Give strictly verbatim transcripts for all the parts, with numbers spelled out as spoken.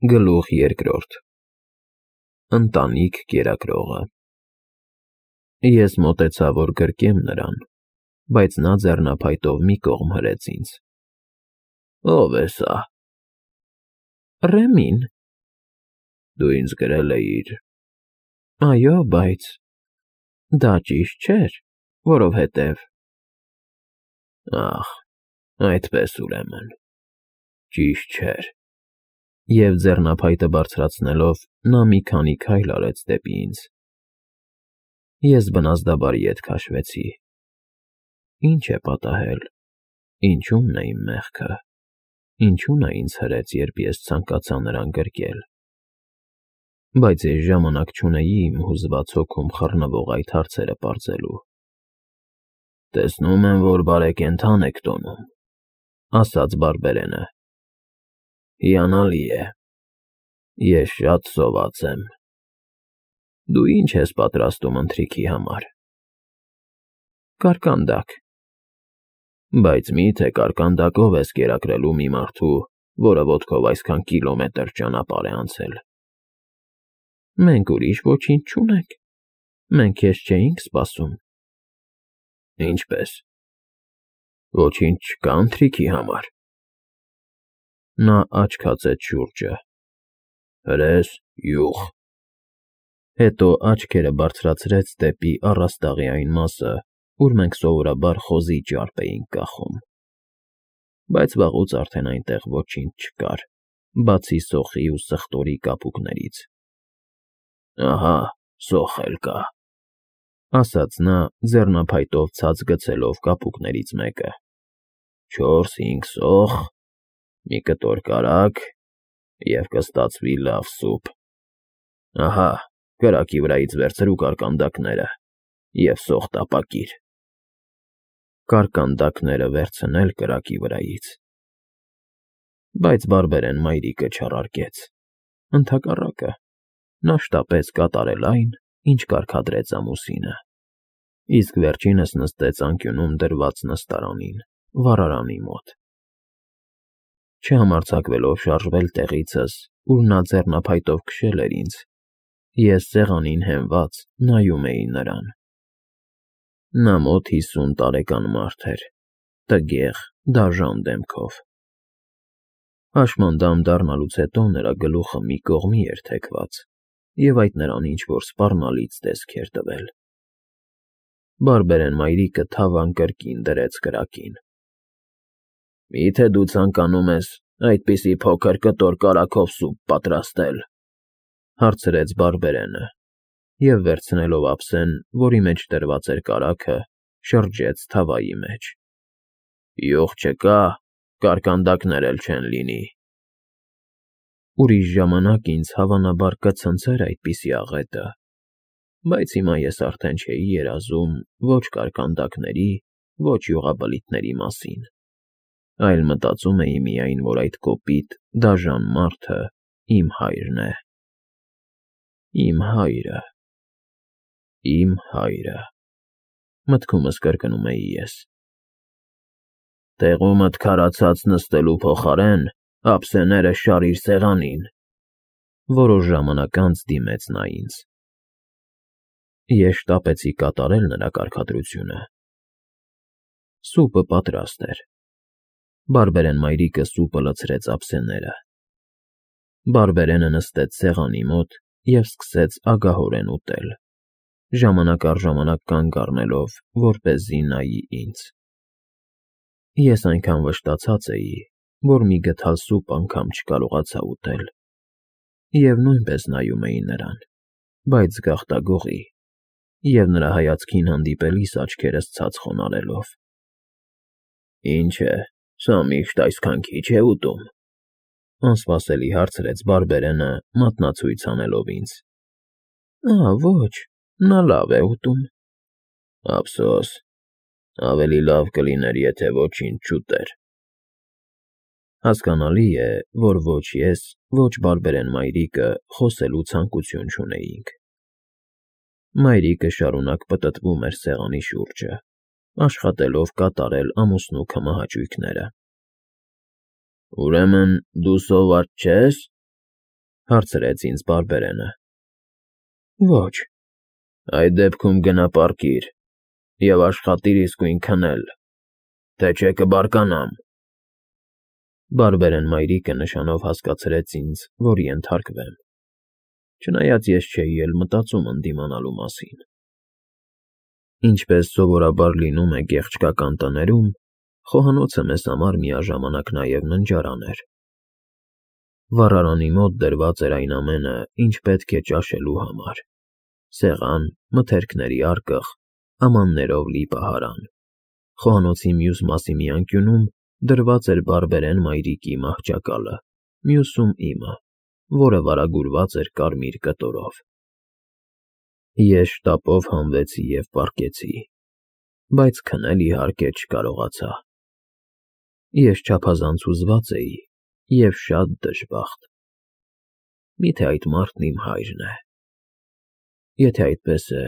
Գլուխ երկրորդ Ընտանիք կերակրողը Ես մոտեցա, որ գրկեմ նրան, բայց նա ձեռնափայտով մի կողմ հրեց ինձ։ Ո՞վ է սա։ Ռեմին։ Դու ինձ գրել էիր։ Այո, բայց դա ճիշտ չէր, որովհետև… Ախ, այդպես ուրեմն, ճիշտ չէր։ Եվ ձեռնափայտը բարձրացնելով, նա մի քանի քայլ արեց դեպի ինձ։ Ես բնազդաբար ետ քաշվեցի։ Ինչ է պատահել, ինչու՞մն է իմ մեղքը, ինչու նա ինձ հրեց, երբ ես ցանկացա նրան գրկել։ Բայց ես ժամանակ չունեի իմ հուզված հոգում խռնվող այդ հարցերը պարզելու։ Տեսնում եմ, որ բարեկենդան եք տոնում, ասաց բարբերենը։ Հիանալի է, ես շատ սոված եմ։ Դու ինչ ես պատրաստում ընթրիքի համար։ Կարկանդակ։ Բայց մի՞թե կարկանդակով ես կերակրելու մի մարդու, որը ոտքով այսքան կիլոմետր ճանապարհ է անցել։ Մենք ուրիշ ոչինչ չունենք, մենք քեզ չէինք սպասում։ Ինչպե՞ս։ Ոչինչ չկա ընթրիքի համար։ Նա աչք հացեց շուրջը։ Հրես, յուղ։ Հետո աչքերը բարձրացրեց դեպի առաստաղի այն մասը, ուր մենք սովորաբար խոզի ճարպ էինք կախում։ Բայց վաղուց արդեն այնտեղ ոչինչ չկար, բացի սոխի ու սխտորի կապուկներից։ Ահա, սոխ էլ կա, ասաց նա, ձեռնափայտով ցած գցելով կապուկներից մեկը։ Չորս֊հինգ սոխ, մի կտոր կարագ և կստացվի լավ սուփ։ Ահա, կրակի վրայից վերցրու կարկանդակները և սոխ տապակիր։ Կարկանդակները վերցնել կրակի վրայից։ Բայց բարբերեն մայրիկը չառարկեց։ Ընդհակառակը, նա շտապեց կատարել այն, ինչ կարգադրեց ամուսինը, իսկ վերջինս նստեց անկյունում դրված նստարանին, վառարանի մոտ։ Չհամարձակվելով շարժվել տեղիցս, ուր նա ձեռնափայտով քշել էր ինձ, ես սեղանին հենված նայում էի նրան։ Նա մոտ հիսուն տարեկան մարդ էր, տգեղ, դաժան դեմքով։ Հաշմանդամ դառնալուց հետո նրա գլուխը մի կողմի էր թեքված, և այդ նրան ինչ֊որ սպառնալից տեսք էր տվել։ Բարբերեն մայրիկը թավան կրկին դրեց կրակին։ Մի՞թե դու ցանկանում ես այդպիսի փոքր կտոր կարագով սուպ պատրաստել, հարցրեց բարբերենը, և վերցնելով ափսեն, որի մեջ դրված էր կարագը, շրջեց թավայի մեջ։ Յուղ չկա, կարկանդակներ էլ չեն լինի։ Ուրիշ ժամանակ ինձ հավանաբար կցնցեր այդպիսի աղետը, բայց հիմա ես արդեն չէի երազում ոչ կարկանդակների, ոչ յուղաբլիթների մասին, այլ մտածում էի միայն, որ այդ կոպիտ, դաժան մարդը իմ հայրն է։ Իմ հայրը… Իմ հայրը… Մտքումս կրկնում էի ես։ Տեղումդ քարացած նստելու փոխարեն ափսեները շարիր սեղանին, որոշ ժամանակ անց դիմեց նա ինձ։ Ես շտապեցի կատարել նրա կարգադրությունը։ Սուպը պատրաստ էր։ Բարբերեն մայրիկը սուպը լցրեց ափսեները։ Բարբերենը նստեց սեղանի մոտ և սկսեց ագահորեն ուտել, ժամանակ առ ժամանակ կանգ առնելով, որպեսզի նայի ինձ։ Ես այնքան վշտացած էի, որ մի գդալ սուպ անգամ չկարողացա ուտել, և նույնպես նայում էի նրան, բայց զգաղտագողի և նրա հայացքին հանդիպելիս աչքերս ցած խոնարհելով։ Ինչ է, սա միշտ այսքան քիչ է ուտում, անսպասելի հարցրեց բարբերենը, մատնացույց անելով ինձ։ Ա, ոչ, նա լավ է ուտում։ Ափսոս, ավելի լավ կլիներ, եթե ոչինչ չուտեր։ Հասկանալի է, որ ոչ ես, ոչ բարբերեն մայրիկը խոսելու ցանկություն չունեինք։ Մայրիկը շարունակ պտտվում էր սեղանի շուրջը, աշխատելով կատարել ամուսնու քմահաճույքները։ Ուրեմն դու սոված չե՞ս։ Հարցրեց ինձ բարբերենը։ Ոչ։ Այդ դեպքում գնա պառկիր և աշխատիր իսկույն քնել, թե չէ կբարկանամ։ Բարբերեն մայրիկը նշանով հասկացրեց ինձ, որ ենթարկվեմ, չնայած ես չէի էլ մտածում ընդդիմանալու մասին։ Ինչպես սովորաբար լինում է գեղեցկական տներում, խոհանոցը մեզ համար միաժամանակ նաև ննջարան էր։ Վառարանի մոտ դրված էր այն ամենը, ինչ պետք է ճաշելու համար. սեղան, մթերքների արկղ, ամաններով լի պահարան։ Խոհանոցի մյուս մասի մի անկյունում դրված էր բարբերեն մայրիկի մահճակալը, մյուսում իմը, որը վարագուրված էր կարմիր կտորով։ Ես շտապով հանվեցի և պառկեցի, բայց քնել, իհարկե, չկարողացա։ Ես չափազանց հուզված էի և շատ դժբախտ։ Մի՞թե այդ մարդն իմ հայրն է։ Եթե այդպես է,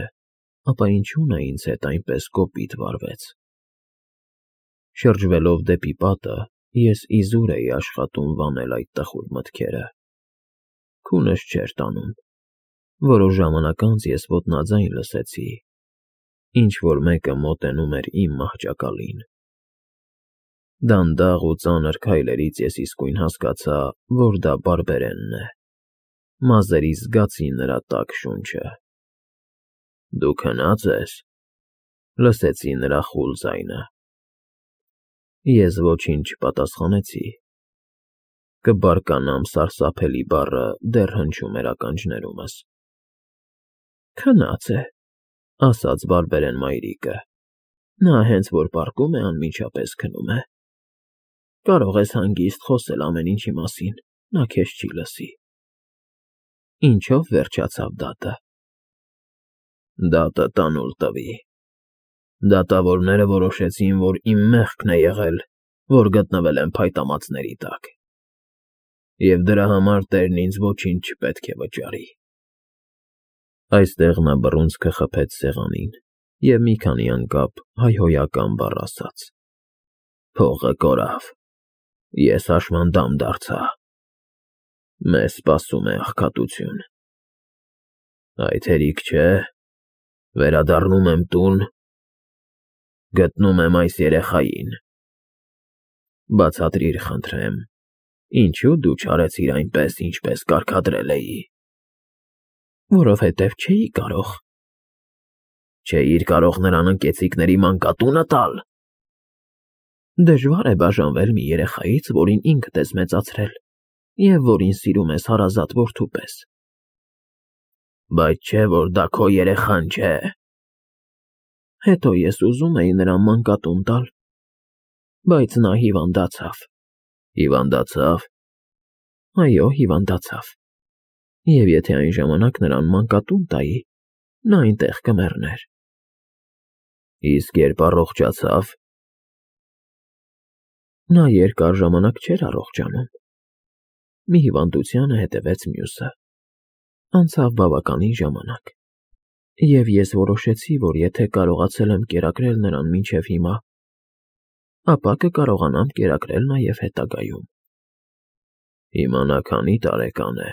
ապա ինչու նա ինձ հետ այնպես կոպիտ վարվեց։ Շրջվելով դեպի պատը, ես իզուր էի աշխատում վանել այդ տխուր մտքերը։ Քունս չէր տանում։ Որոշ ժամանակ անց ես ոտնաձայն լսեցի. ինչ-որ մեկը մոտենում էր իմ մահճակալին։ Դանդաղ ու ծանր քայլերից ես իսկույն հասկացա, որ դա բարբերենն է։ Մազերիս զգացի նրա տաք շունչը։ Դու քնա՞ծ ես, լսեցի նրա խուլ ձայնը։ Ես ոչինչ չպատասխանեցի։ Կբարկանամ սարսափելի բառը դեռ հնչում էր ականջներումս։ Քնած է, ասաց բարբերեն մայրիկը։ Նա հենց որ պառկում է, անմիջապես քնում է։ Կարող ես հանգիստ խոսել ամեն ինչի մասին, նա քեզ չի լսի։ Ինչո՞վ վերջացավ դատը։ Դատը տանուլ տվի։ Դատավորները որոշեցին, որ իմ մեղքն է եղել, որ գտնվել եմ փայտամածների տակ, և դրա համար տերն ինձ ոչինչ չպետք է վճարի։ Այստեղ նա բռունցքը խփեց սեղանին և մի քանի անգամ հայհոյական բառ ասաց։ Փողը կորավ, ես հաշմանդամ դարձա։ Մեզ սպասում է աղքատություն։ Այդ հերիք չէ, վերադառնում եմ տուն, գտնում եմ այս երեխային։ Բացատրիր, խնդրեմ, ինչու դու չարեցիր այնպես, ինչպես կարգադրել էի։ Որովհետև չէի կարող։ Չէիր կարող նրան ընկեցիկների մանկատունը տալ։ Դժվար է բաժանվել մի երեխայից, որին ինքդ ես մեծացրել, և որին սիրում ես հարազատ որդու պես։ Բայց չէ, որ դա քո երեխան չէ։ Հետո ես ուզում էի նրան մանկատուն տալ, բայց նա հիվանդացավ։ Հիվանդացա՞վ։ Այո, հիվանդացավ։ Եվ եթե այն ժամանակ նրան մանկատուն տայի, նա այնտեղ կմեռներ։ Իսկ երբ առողջացավ։ Նա երկար ժամանակ չէր առողջանում։ Մի հիվանդությանը հետևեց մյուսը։ Անցավ բավականին ժամանակ, և ես որոշեցի, որ եթե կարողացել եմ կերակրել նրան մինչև հիմա, ապա կկարողանամ կերակրել նաև հետագայում։ Հիմա նա քանի տարեկան է։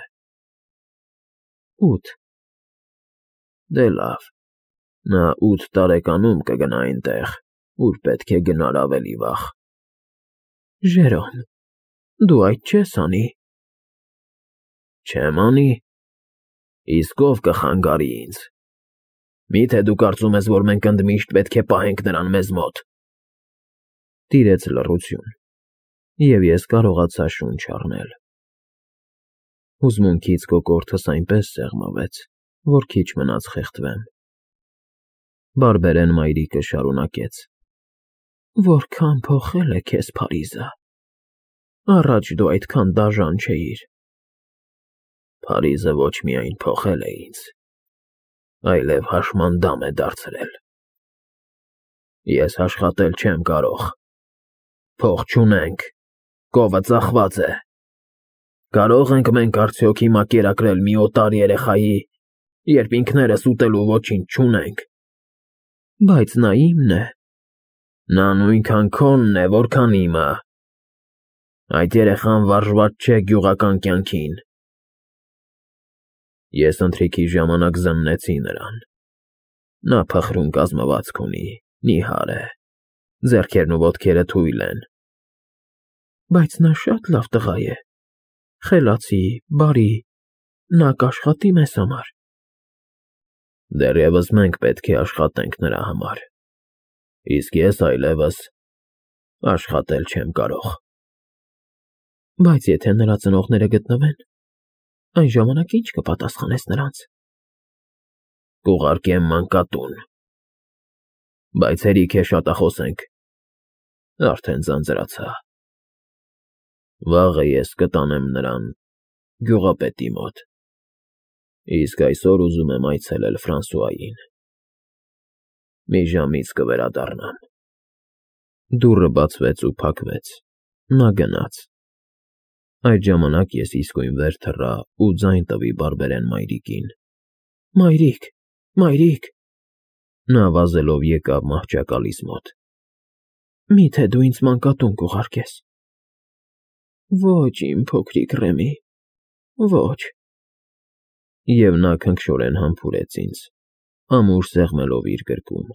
Ութ։ Դե լավ, նա ութ տարեկանում կգնա այնտեղ, ուր պետք է գնար ավելի վաղ։ Ժերոմ, դու այդ չես անի։ Չեմ անի։ Իսկ ով կխանգարի ինձ։ Մի՞թե դու կարծում ես, որ մենք ընդմիշտ պետք է պահենք նրան մեզ մոտ։ Տիրեց լռություն, և ես կարողացա շունչ առնել։ Հուզմունքից կոկորդս այնպես սեղմվեց, որ քիչ մնաց խեղդվեմ։ Բարբերեն մայրիկը շարունակեց. Որքան փոխել է քեզ Փարիզը։ Առաջ դու այդքան դաժան չէիր։ Փարիզը ոչ միայն փոխել է ինձ, այլև հաշմանդամ է դարձրել։ Ես աշխատել չեմ կարող։ Փող չունենք, կովը ծախված է։ Կարո՞ղ ենք մենք արդյոք հիմա կերակրել մի օտար երեխայի, երբ ինքներս ուտելու ոչինչ չունենք։ Բայց նա իմն է։ Նա նույնքան քոնն է, որքան իմը։ Այդ երեխան վարժված չէ գյուղական կյանքին։ Ես ընթրիքի ժամանակ զննեցի նրան։ Նա փխրուն կազմվածք ունի, նիհար է, ձեռքերն ու ոտքերը թույլ են։ Բայց նա շատ լավ տղա է, խելացի, բարի, նա կաշխատի մեզ համար։ Դեռևս մենք պետք է աշխատենք նրա համար, իսկ ես այլևս աշխատել չեմ կարող։ Բայց եթե նրա ծնողները գտնվեն, այն ժամանակ ինչ կպատասխանես նրանց։ Կուղարկեմ մանկատուն։ Բայց հերիք է շատախոսենք, արդեն ձանձրացա։ Վաղը ես կտանեմ նրան գյուղապետի մոտ, իսկ այսօր ուզում եմ այցելել Ֆրանսուային։ Մի ժամից կվերադառնամ։ Դուռը բացվեց ու փակվեց, նա գնաց։ Այդ ժամանակ ես իսկույն վեր թռա ու ձայն տվի բարբերեն մայրիկին։ Մայրիկ, մայրիկ… Նա վազելով եկավ մահճակալիս մոտ։ Մի՞թե դու ինձ մանկատուն կուղարկես։ Ոչ, իմ փոքրիկ Ռեմի, ոչ… Եվ նա քնքշորեն համբուրեց ինձ, ամուր սեղմելով իր գրկում։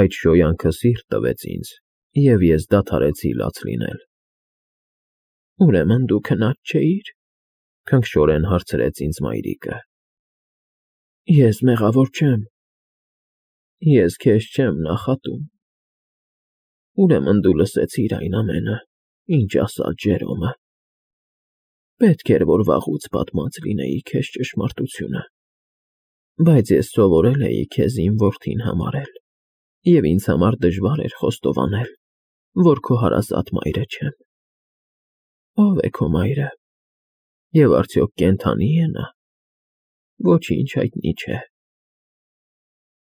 Այդ շոյանքը սիրտ տվեց ինձ, և ես դադարեցի լաց լինել։ Ուրեմն դու քնած չէիր, քնքշորեն հարցրեց ինձ մայրիկը։ Ես մեղավոր չեմ։ Ես քեզ չեմ նախատում։ Ուրեմն դու լսեցիր այն ամենը, ինչ ասաց Ժերոմը։ Պետք էր, որ վաղուց պատմած լինեի քեզ ճշմարտությունը։ Բայց ես սովորել էի քեզ իմ որդին համարել, և ինձ համար դժվար էր խոստովանել, որ քո հարազատ մայրը չեմ։ Ո՞վ է քո մայրը, և արդյոք կենդանի՞ է նա։ Ոչինչ հայտնի չէ։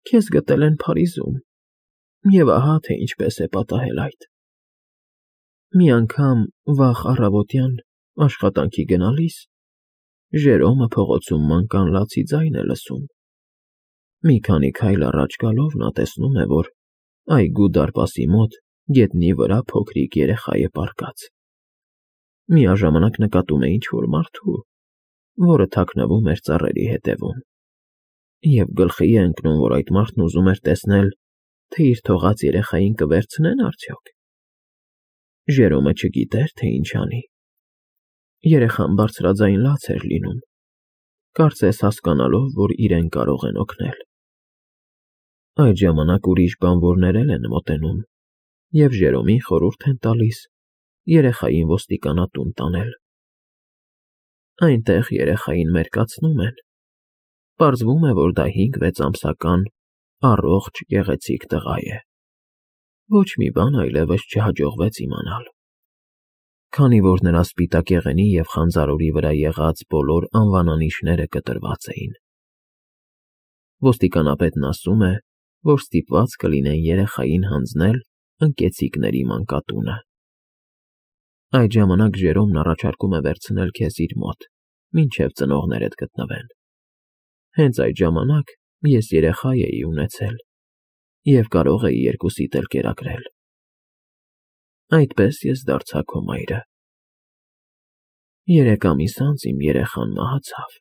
Քեզ գտել են Փարիզում, և ահա թե ինչպես է պատահել այդ։ Մի անգամ վաղ առավոտյան աշխատանքի գնալիս Ժերոմը փողոցում մանկանց լացի ձայն է լսում։ Մի քանի քայլ առաջ գալով նա տեսնում է, որ այգու դարպասի մոտ գետնի վրա փոքրիկ երեխա է պառկած։ Միաժամանակ նկատում է ինչ-որ մարդու, որը թաքնվում էր ծառերի հետևում, և գլխի է ընկնում, որ այդ մարդն ուզում էր տեսնել, թե իր թողած երեխային կվերցնե՞ն արդյոք։ Ժերոմը չգիտեր, թե ինչ անի։ Երեխան բարձրաձայն լաց էր լինում, կարծես հասկանալով, որ իրեն կարող են օգնել։ Այդ ժամանակ ուրիշ բանվորներ են մոտենում և Ժերոմին խորհուրդ են տալիս երեխային ոստիկանատուն տանել։ Այնտեղ երեխային մերկացնում են։ Պարզվում է, որ դա հինգ֊վեց ամսական առողջ գեղեցիկ տղա է։ Ոչ մի բան այլևս չհաջողվեց իմանալ։ Քանի որ նրա սպիտակ եղենի և խանձարորի վրա եղած բոլոր անվանանիշները կտրված էին։ Ոստիկանապետն ասում է, որ ստիպված կլինեն երեխային հանձնել ընկեցիկների մանկատունը։ Այդ ժամանակ Ժերոմն առաջարկում է վերցնել քեզ իր մոտ, մինչև ծնողներդ գտնվեն։ Հենց այդ ժամանակ ես երեխա էի ունեցել և կարող էի երկուսիդ էլ կերակրել։ Այդպես ես դարձա քո մայրը։ Երեք ամիս անց իմ երեխան մահացավ,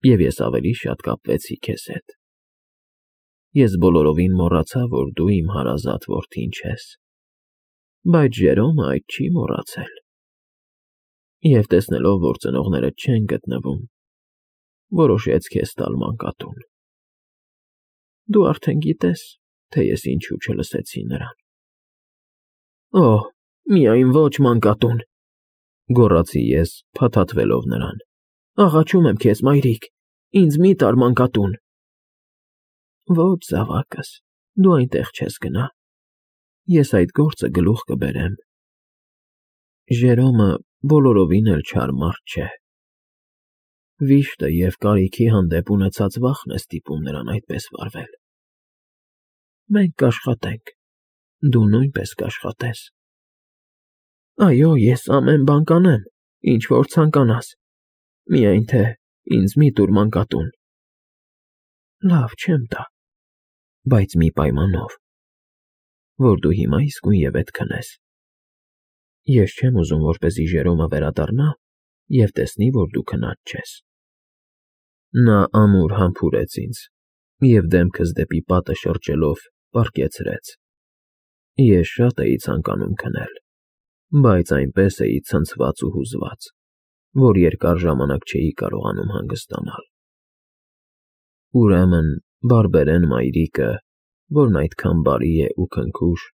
և ես ավելի շատ կապվեցի քեզ հետ։ Ես բոլորովին մոռացա, որ դու իմ հարազատ որդին չես։ Բայց Ժերոմը այդ չի մոռացել։ Եվ տեսնելով, որ ծնողներդ չեն գտնվում, որոշեց քեզ տալ մանկատուն։ Դու արդեն գիտես, թե ես ինչու չլսեցի նրան։ Օհ, միայն ոչ մանկատուն, գոռացի ես, փաթաթվելով նրան։ Աղաչում եմ քեզ, մայրիկ, ինձ մի տար մանկատուն։ Ոչ, զավակս, դու այնտեղ չես գնա։ Ես այդ գործը գլուխ կբերեմ։ Ժերոմը բոլորովին էլ չար մարդ չէ։ Վիշտը և կարիքի հանդեպ ունեցած վախն է ստիպում նրան այդպես վարվել։ Մենք կաշխատենք, դու նույնպես կաշխատես։ Այո, ես ամեն բան կանեմ, ինչ որ ցանկանաս, միայն թե ինձ մի տուր մանկատուն։ Լավ, չեմ տա, բայց մի պայմանով, որ դու հիմա իսկույնևեթ քնես։ Ես չեմ ուզում, որպեսզի Ժերոմը վերադառնա և տեսնի, որ դու քնած չես։ Նա ամուր համբուրեց ինձ և դեմքս դեպի պատը շրջելով պառկեցրեց։ Ես շատ էի ցանկանում քնել, բայց այնպես էի ցնցված ու հուզված, որ երկար ժամանակ չէի կարողանում հանգստանալ։ Ուրեմն բարբերեն մայրիկը, որն այդքան բարի է ու քնքուշ,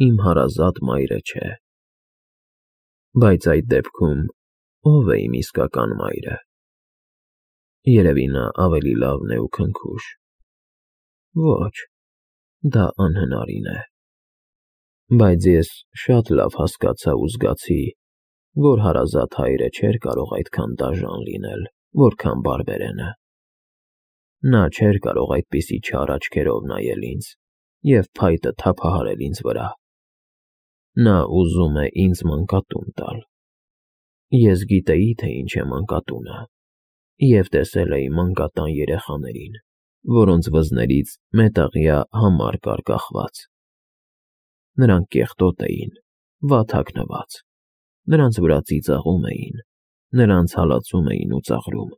իմ հարազատ մայրը չէ։ Բայց այդ դեպքում ո՞վ է իմ իսկական մայրը։ Երևի նա ավելի լավն է ու քնքուշ։ Ոչ, դա անհնարին է։ Բայց ես շատ լավ հասկացա ու զգացի, որ հարազատ հայրը չէր կարող այդքան դաժան լինել, որքան բարբերենը։ Նա չէր կարող այդպիսի չար աչքերով նայել ինձ և փայտը թափահարել ինձ վրա։ Նա ուզում է ինձ մանկատուն տալ։ Ես գիտեի, թե ինչ է մանկատունը, և տեսել էի մանկատան երեխաներին, որոնց վզներից մետաղյա համար կար կախված։ Նրանք կեղտոտ էին, վատ հագնված, նրանց վրա ծիծաղում էին, նրանց հալածում էին ու ծաղրում։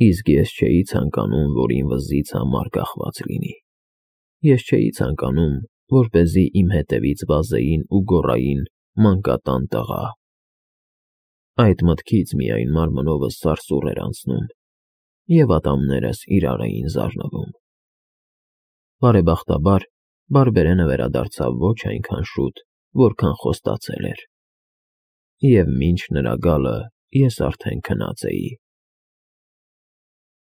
Իսկ ես չէի ցանկանում, որ իմ վզից համար կախված լինի։ Ես չէի ցանկանում, որպեսզի իմ հետևից վազեին ու գոռային «մանկատան տղա»։ Այդ մտքից միայն մարմնովս սարսուռ էր անցնում, և ատամներս իրար էին զարնվում։ Բարեբախտաբար, բարբերենը վերադարձավ ոչ այնքան շուտ, որքան խոստացել էր, և մինչ նրա գալը ես արդեն քնած էի։